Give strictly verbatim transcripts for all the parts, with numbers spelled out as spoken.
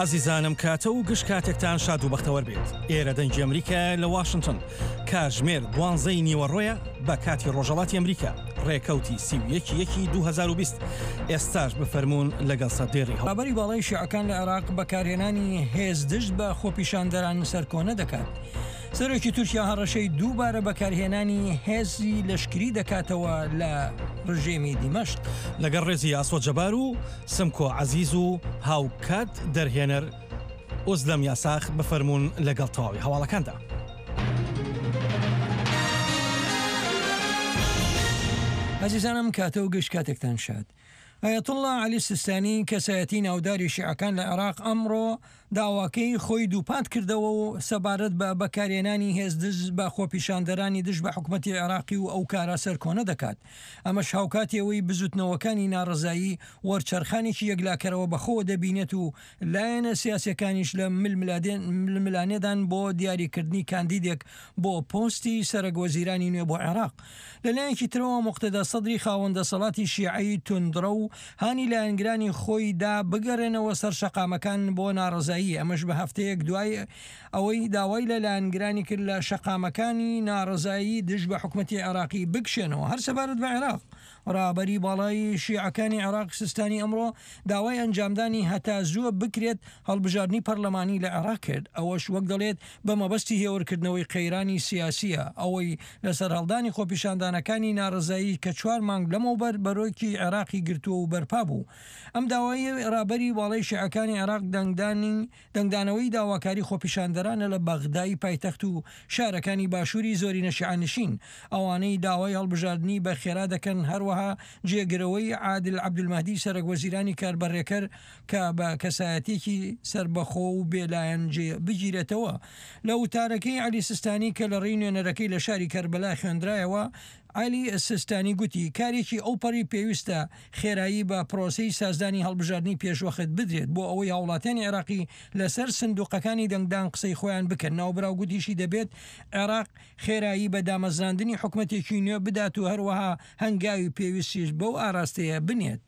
ئازیزانم کاتە و گشت کاتێکتان شاد و بەختەوەر بێت. ئێرە دەنگی ئەمریکایە لە واشنتن. کاتژمێر دوانزەی نیوەڕۆیە بە کاتی ڕۆژهەڵاتی ئەمریکا، ڕێکەوتی سی و یەک یەکی دوو هەزار و بیست. ئێستاش بفەرموون لەگەڵ سەردێڕی هەڵ. ڕابەری باڵای شیعەکان لە عێراق بەکارهێنانی هێز دژ بە خۆپیشاندەران سەرکۆنە دەکات. سەرۆکی تورکیا هەڕەشەی دووبارە بەکارهێنانی هێزی لەشکری دەکاتەوە لە ڕژێمی دیمەشق. لەگەڵ ڕێزی ئاسۆ جەبار و سمکۆ عەزیز و هاوکات دەرهێنەر ئۆزلەم یاساخ بفەرموون لەگەڵ تەواوی هەواڵەکاندا. ئازیزانم کاتە و گشت کاتێکتان شاد. ئایەتوڵڵا عەلی سیستانی کەسایەتی ناوداری شیعەکان لە عێراق ئەمڕۆ داواکەی خۆی دووپات کردەوە و سەبارەت بە بەکارهێنانی هێز دژ بە خۆپیشاندەرانی دژ بە حکومەتی عێراقی و ئەو کارە سەرکۆنە دەکات. ئەمەش هاوکاتی ئەوەی بزوتنەوەکانی ناڕەزایی وەرچەرخانێکی یەکلاکەرەوە بەخۆوە دەبینێت و لایەنە سیاسیەکانیش لە ململانێدان بۆ دیاریکردنی کاندیدێک بۆ پۆستی سەرەک وەزیرانی نوێ بۆ عێراق. لەلایەکی ترەوە موقتەدا سەدری خاوەن دەسەڵاتی شیعەی توندڕە و هانی لایەنگرانی خۆی دا بگەڕێنەوە سەر شەقامەکان بۆ ناڕەزایی، ئەمەش بە هەفتەیەک دوای ئەوەی داوای لە لایەنگرانی کرد لە شەقامەکانی ناڕەزایی دژ بە حکومەتی عێراقی بکشێنەوە. هەر سەبارەت بە عێراق، ڕابەری باڵای شیعەکانی عێراق سیستانی ئەمڕۆ داوای ئەنجامدانی هەتا زووە بکرێت هەڵبژاردنی پەرلەمانی لە عێراق کرد، ئەوەش وەک دەڵێت بە مەبەستی هێورکردنەوەی قەیرانی سیاسیە، ئەوەی لەسەر هەڵدانی خۆپیشاندانەکانی ناڕەزایی کە چوار مانگ لەمەوبەر بەرۆکی عێراقی گرتووە و بەرپا بوو. ئەم داوای ڕابەری باڵای شیعەکانی عێراق دەنگدانی دەنگدانەوەی داواکاری خۆپیشاندەرانە لە بەغدای پایتەخت و شارەکانی باشووری زۆرینە شیعەنشین، ئەوانەی داوای هەڵبژاردنی بە خێرا دەکەن. هەروەها جێگرەوەی عادل عەبدولمەهدی سەرەک وەزیرانی کاربەڕێکەر کە بە کەسایەتێکی سربەخۆ و بێلایەن جێ بگیرێتەوە. لە وتارەکەی عەلی سیستانی کە لە ڕێی نوێنەرەکەی لە شاری کەربەلا خوێندرایەوە، عەلی سیستانی گوتی کارێکی ئەوپەڕی پێویستە خێرایی بە پرۆسەی سازدانی هەڵبژاردنی پێشوەخت بدرێت بۆ ئەوەی هاوڵاتیانی عێراقی لەسەر سندوقەکانی دەنگدان قسەی خۆیان بکەن. ناوبراو گوتیشی دەبێت عێراق خێرایی بە دامەزراندنی حکومەتێکی نوێ بدات و هەروەها هەنگاوی پێویستیش بەو ئاراستەیە بنێت.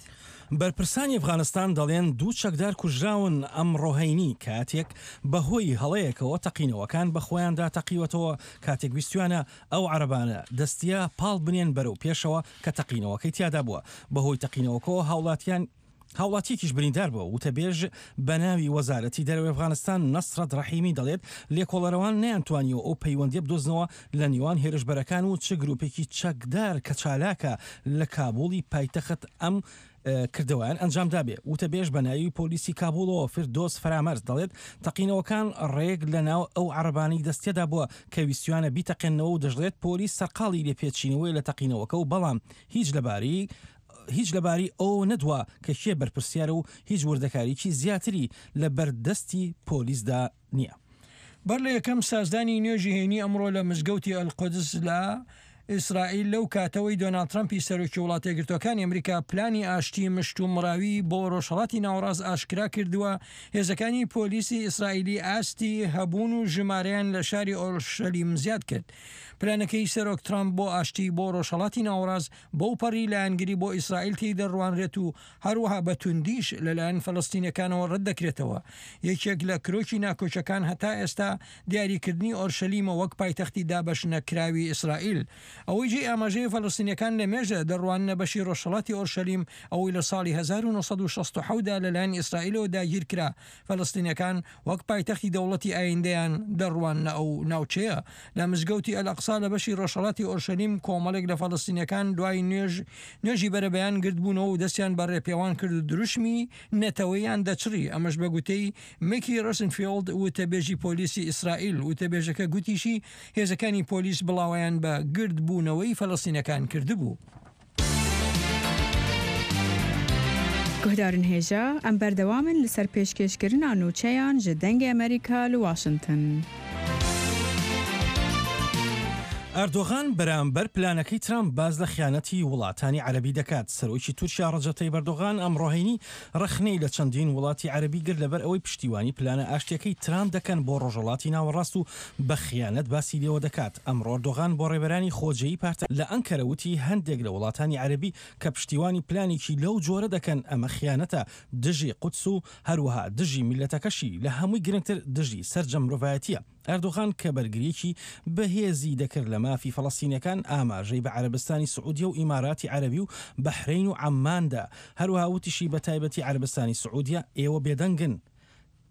بەرپرسانی ئەفغانستان دەڵێن دوو چەکدار کوژراون ئەمڕۆ هەینی کاتێک بەهۆی هەڵەیەکەوە تەقینەوەکان بە خۆیاندا تەقیوەتەوە کاتێک ویستویانە ئەو عەرەبانە دەستیە پاڵ بنێن بەرەو پێشەوە کە تەقینەوەکەی تیادا بووە. بەهۆی تەقینەوەکەوە هاوڵاتیان هاوڵاتیەکیش بریندار بووە. وتەبێژ بە ناوی وەزارەتی دەرەوەی ئەفغانستان نەسرەت ڕەحیمی دەڵێت لێکۆڵەرەوان نەیانتوانیوە ئەو پەیوەندیە بدۆزنەوە لە نێوان هێرشبەرەکان و چ گروپێکی چەکدار کە چالاکە لە کابوڵی پایتەخت ئەم کردەوەیان ئەنجامدا بێ. وتەبێژ بە ناوی پۆلیسی کابوڵەوە فردۆس فەرامەرز دەڵێت تەقینەوەکان ڕێک لە ناو ئەو عەرەبانەی دەستیەدا بووە کە ویستویانە بیتەقێنەوە و دەشڵێت پۆلیس سەرقاڵی لێپێچینەوەی لە تەقینەوەکە و بەڵام هیچ لەبارەی هیچ لەبارەی ئەو نەدووە کە کێ بەرپرسیارە و هیچ وردەکاریکی زیاتری لە بەردەستی پۆلیسدا نییە. بەر لە یەکەم سازدانی نوێژی هەینی ئەمڕۆ لە مزگەوتی ئەلقودس لە ئیسرائیل لەو کاتەوەی دۆناڵد ترەمپی سەرۆکی وڵاتە یەکگرتووەکانی ئەمریکا پلانی ئاشتی مشت و مراوی بۆ ڕۆژهەڵاتی ناوەڕاست ئاشکرا کردووە، هێزەکانی پۆلیسی ئیسرائیلی ئاستی هەبوون و ژمارەیان لە شاری ئۆرشەلیم زیاد کرد. پلانەکەی سەرۆک ترەمپ بۆ ئاشتی بۆ ڕۆژهەڵاتی ناوەڕاست بەو پەڕی لایەنگری بۆ ئیسرائیل تێی دەڕوانرێت و هەروەها بە توندیش لەلایەن فەلەستینەکانەوە ڕەت دەکرێتەوە. یەکێک لە کرۆکی ناکۆکیەکان هەتا ئێستا دیاریکردنی ئۆرشەلیمە وەک پایتەختی دابەشنەکراوی ئیسرائیل. ئەوەی جێی ئاماژەیە فەلەستینیەکان لە مێژە دەڕواننە بەشی ڕۆژهەڵاتی ئۆرشەلیم ئەوەی لە ساڵی هەزار و نۆ سەد و شەست و حەوت دا لەلایەن ئیسرائیلەوە داگیرکرا، فەلەستینیەکان وەک پایتەختی دەوڵەتی ئایندەیان دەڕواننە ئەو ناوچەیە. لە مزگەوتی ئەلئەقسا لە بەشی ڕۆژهەڵاتی ئۆرشەلیم کۆمەڵێک لە فەلەستینیەکان دوای نوێژ نوێژی بەرەبەیان گردبوونەوە و دەستیان بە ڕێپێوان کرد و دروشمی نەتەوەیان دەچڕی، ئەمەش بە گوتەی میکی ڕۆسنفیڵد وتەبێژی پۆلیسی ئیسرائیل. وتەبێژەکە گوتیشی هێزەکانی پۆلیس بڵاوەیان بە گردبوونەوەی فەلەستینەکان کردبوو. گوهدارن هێژا ئەم بەردەوامن لەسەر پێشکێشکردنا نوچەیان ji دەنگê ئەمریکا لە واشنتن. ئەردۆغان بەرامبەر پلانەکەی ترامپ باس لە خیانەتی وڵاتانی عەرەبی دەکات. سەرۆکی تورکیا ڕەجەب تەیب ئەردۆغان ئەمڕۆ هەینی ڕەخنەی لە چەندین وڵاتی عەرەبی گرت لەبەر ئەوەی پشتیوانی پلانە ئاشتیەکەی ترامپ دەکەن بۆ ڕۆژهەڵاتی ناوەڕاست و بە خیانەت باسی لێوە دەکات. ئەمڕۆ ئەردۆغان بۆ ڕێبەرانی خۆجێی پارتە لە ئەنکەرە وتی هەندێک لە وڵاتانی عەرەبی کە پشتیوانی پلانێکی لەو جۆرە دەکەن ئەمە خیانەتە دژی قودس و هەروەها دژی میللەتەکەشی، لە هەمووی گرنگتر دژی سەرجەم مرۆڤایەتیە. ئەردۆغان کە بەرگرییەکی بەهێزی دەکرد لە مافی فەڵەستینیەکان، ئاماژەی بە عەرەبستانی سعودیە و ئیماراتی عەرەبی و بەحرەین و عەممان دا. هەروەها وتیشی بە تایبەتی عەرەبستانی سعودیە، ئێوە بێدەنگن.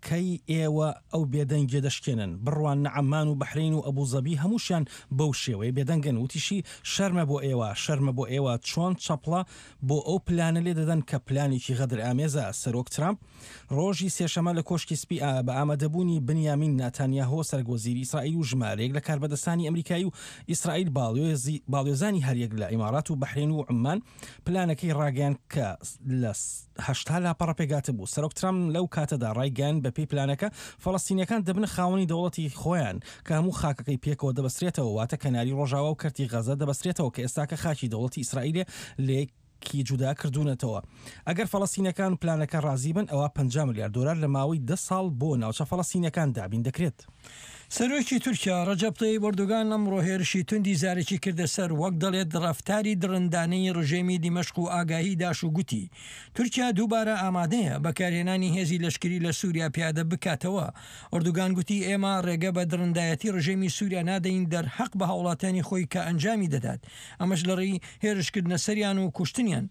کەی ئێوە ئەو بێدەنگیە دەشکێنن؟ بڕواننە عەممان و بەحرەین و ئەبوزەبی هەمووشیان بەو شێوەیە بێدەنگن. وتیشی شەرمە بۆ ئێوە، شەرمە بۆ ئێوە چۆن چەپڵە بۆ ئەو پلانە لێدەدەن کە پلانێکی غەدرئامێزە. سەرۆک ترامپ ڕۆژی سێشەمە لە کۆشکی سپی بە ئامادەبوونی بنیامین ناتانیاهۆ سەرۆکوەزیری ئیسرائیل و ژمارەیەک لە کاربەدەستانی ئەمریکایی و ئیسرائیل باڵیۆزانی هەریەک لە ئیمارات و بەحرەین و عوممان پلانەکەی ڕاگەیاند کە لە هەشتا لاپەڕە پێکهاتبوو. سەرۆک ترامپ لەو کاتەدا ڕایگەیاند بەپێی پلانەکە فەڵەستینیەکان دەبنە خاوەنی دەوڵەتی خۆیان کە هەموو خاکەکەی پێکەوە دەبەسترێتەوە، واتە کەناری ڕۆژاوا و کەرتی غەزە دەبەسترێتەوە کە ئێستاکە خاکی دەوڵەتی ئیسرائیلێ لە کی جودا کردوونەتەوە. ئەگەر فەڵەستینەکان پلانەکە ڕازی بن ئەوا پەنجا ملیار دۆلار لە ماوەی دە ساڵ بۆ ناوچە فەڵەستینیەکان دابین دەکرێت. سەرۆکی تورکیا ڕەجەب تەیب ئەردۆگان ئەمڕۆ هێرشی توندی زارەکی کردە سەر وەک دەڵێت ڕەفتاری دڕندانەی ڕژێمی دیمەشق و ئاگاهی داش و گوتی تورکیا دووبارە ئامادەیە بەکارهێنانی هێزی لەشکری لە سوریا پیادە بکاتەوە. ئەردۆگان گوتی ئێمە ڕێگە بە دڕندایەتی ڕژێمی سوریا نادەین دەرحەق بە هاوڵاتیانی خۆی کە ئەنجامی دەدات، ئەمەش لەڕێی هێرشکردنە سەریان و کوشتنیان.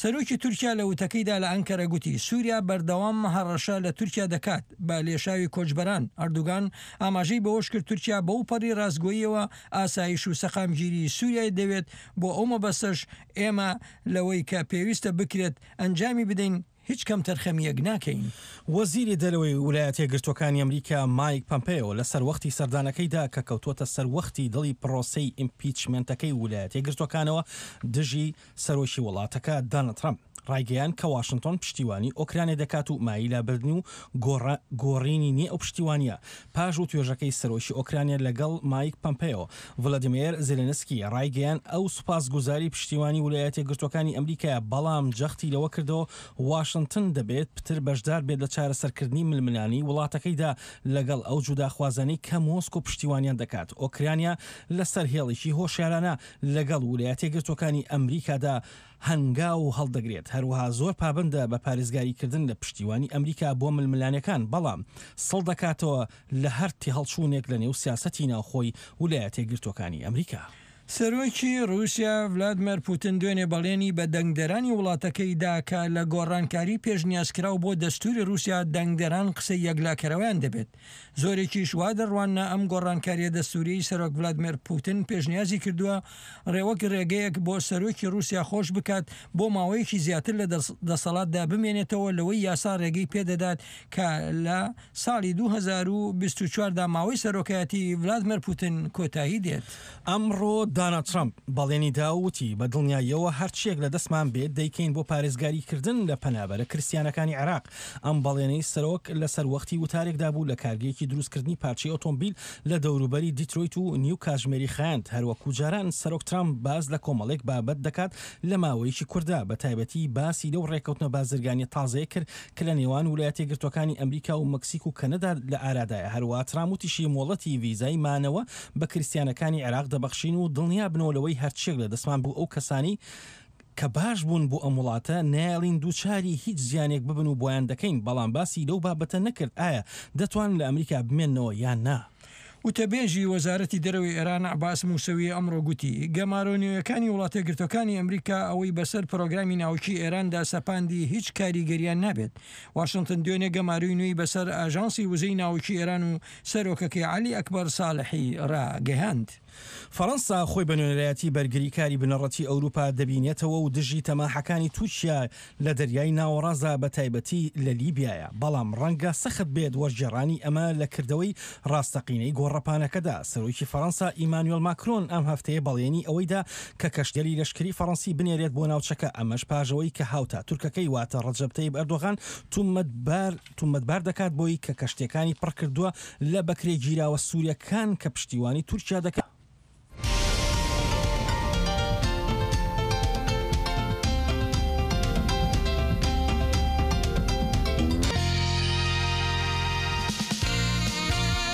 سەرۆکی تورکیا لە وتەکەیدا لە ئەنکەرە گوتی سوریا بەردەوام هەڕەشە لە تورکیا دەکات بە لێشاوی کۆچبەران. ئەردۆگان ئاماژەی بەوەشکرد تورکیا بەوپەڕی ڕاستگۆییەوە ئاسایش و سەقامگیری سوریای دەوێت، بۆ ئەو مەبەستەش ئێمە لەوەی کە پێویستە بکرێت ئەنجامی بدەین هیچ کەمتەرخەمییەک ناکەین. وەزیری دەرەوەی ولایەتە یەکگرتووەکانی ئەمریکا مایک پەمپێۆ لە سەروەختی سەردانەکەیدا کە کەوتووەتە سەروەختی دڵی پرۆسەی ئیمپیچمێنتەکەی ولایەتە یەکگرتووەکانەوە دژی سەرۆکی وڵاتەکە دانڵد ترەمپ ڕایگەیاند کە واشنتۆن پشتیوانی ئۆکرانیا دەکات و مایەی لابردن و گۆڕینی نییە ئەو پشتیوانییە. پاش وتوێژەکەی سەرۆکی ئۆکرانیا لەگەڵ مایک پەمپێۆ، ڤلادیمێر زێلێنسکی ڕایگەیاند ئەو سوپاسگوزاری پشتیوانی ولایەتە یەکگرتووەکانی ئەمریکایە، بەڵام جەختی لەوە کردەوە واشنتن دەبێت پتر بەشدار بێت لە چارەسەرکردنی ململانێی وڵاتەکەیدا لەگەڵ ئەو جوداخوازانەی کە مۆسکۆ پشتیوانیان دەکات. ئۆکرانیا لەسەر هێڵێکی هۆشیارانە لەگەڵ ولایەتە یەکگرتووەکانی ئەمریکادا هەنگاو هەڵدەگرێت، هەروەها زۆر پابەندە بە پارێزگاریکردن لە پشتیوانی ئەمریکا بۆ ململانێکان، بەڵام سڵ دەکاتەوە لە هەر تێهەڵچوونێک لەنێو سیاسەتی ناوخۆی ولایەتە یەکگرتووەکانی ئەمریکا. سەرۆکی ڕووسیا ڤلادمێر پوتن دوێنێ بەڵێنی بە دەنگدەرانی وڵاتەکەی دا کە لە گۆڕانکاری پێشنیازکراو بۆ دەستووری ڕووسیا دەنگدەران قسەی یەکلاکەرەوەیان دەبێت. زۆرێکیش وا دەڕواننە ئەم گۆڕانکارییە دەستووریەی سەرۆک ڤلادمێر پوتن پێشنیازی کردووە ڕێ وەک ڕێگەیەک بۆ سەرۆکی ڕووسیا خۆش بکات بۆ ماوەیەکی زیاتر لە دەسەڵاتدا بمێنێتەوە لەوەی یاسا ڕێگەی پێدەدات کە لە ساڵی دوو هەزار و بیست و چوار دا ماوەی سەرۆکایەتی ڤلادمێر پوتن کۆتایی دێت. ئەمڕۆ داناڵد ترەمپ بەڵێنی دا و وتی، بە دڵنیاییەوە هەرچییەک لە دەستمان بێت دەیکەین بۆ پارێزگاریکردن لە پەنابەرە کریستیانەکانی عێراق. ئەم بەڵێنەی سەرۆک لە سەروەختی وتارێکدا بوو لە کارگەیەکی دروستکردنی پارچەی ئۆتۆمبیل لە دەوروبەری دیترۆیت و نیو کاتژمێری خایاند. هەروەکو جاران سەرۆک ترەمپ باس لە کۆمەڵێک بابەت دەکات لە ماوەیەکی کورتدا، بە تایبەتی باسی لەو ڕێککەوتنە بازرگانییە تازەیە کرد کە لە نێوان ولایەتە یەکگرتووەکانی ئەمریکا و مەکسیک و کەنەدا لە ئارادایە. هەروەها ترامپ وتیشی مۆڵەتی ڤیزای مانەوە بە کریستیانەکانی عێراق دەبەخشین و دڵنیابنەوە لەوەی هەرچیەک لە دەستمان بوو ئەو کەسانەی کە باش بوون بۆ ئەم وڵاتە نایەڵین دووچاری هیچ زیانێک ببن و بۆیان دەکەین، بەڵام باسی لەو بابەتە نەکرد ئایا دەتوانن لە ئەمریکا بمێننەوە یان نا. وتەبێژی وەزارەتی دەرەوەی ئێران عەباس موسەوی ئەمڕۆ گوتی، گەمارۆ نوێیەکانی وڵاتەیەکگرتووەکانی ئەمریکا ئەوەی بەسەر پرۆگرامی ناوکیی ئێراندا سەپاندی هیچ کاریگەریان نابێت. واشنتن دوێنێ گەمارۆی نوێی بەسەر ئاژانسی وزەی ناوکیی ئێران و سەرۆکەکەی عەلی ئەکبەر ساڵحی ڕاگەیاند. فەڕەنسا خۆی بە نوێنەرایەتی بەرگریکاری بنەڕەتی ئەوروپا دەبینێتەوە و دژی تەماحەکانی تورکیا لە دەریای ناوەڕاستدا بە تایبەتی لە لیبیایە، بەڵام ڕەنگە سەخت بێت وەرگێڕانی ئەمە لە کردەوەی ڕاستەقینەی گۆڕەپانەکەدا. سەرۆکی فەڕەنسا ئیمانوێل ماکرۆن ئەم هەفتەیە بەڵێنی ئەوەی دا کە کەشتیگەلی لەشکری فەڕەنسی بنێرێت بۆ ناوچەکە، ئەمەش پاش ئەوەی کە هاوتا تورکەکەی واتە ڕەجەب تەیب ئەردۆغان تومەتبار تومەتبار دەکات بۆی کە کەشتیەکانی پڕکردووە لە بەکرێگیراوە سوریەکان کە پشتیوانی تورکیا دەکەن.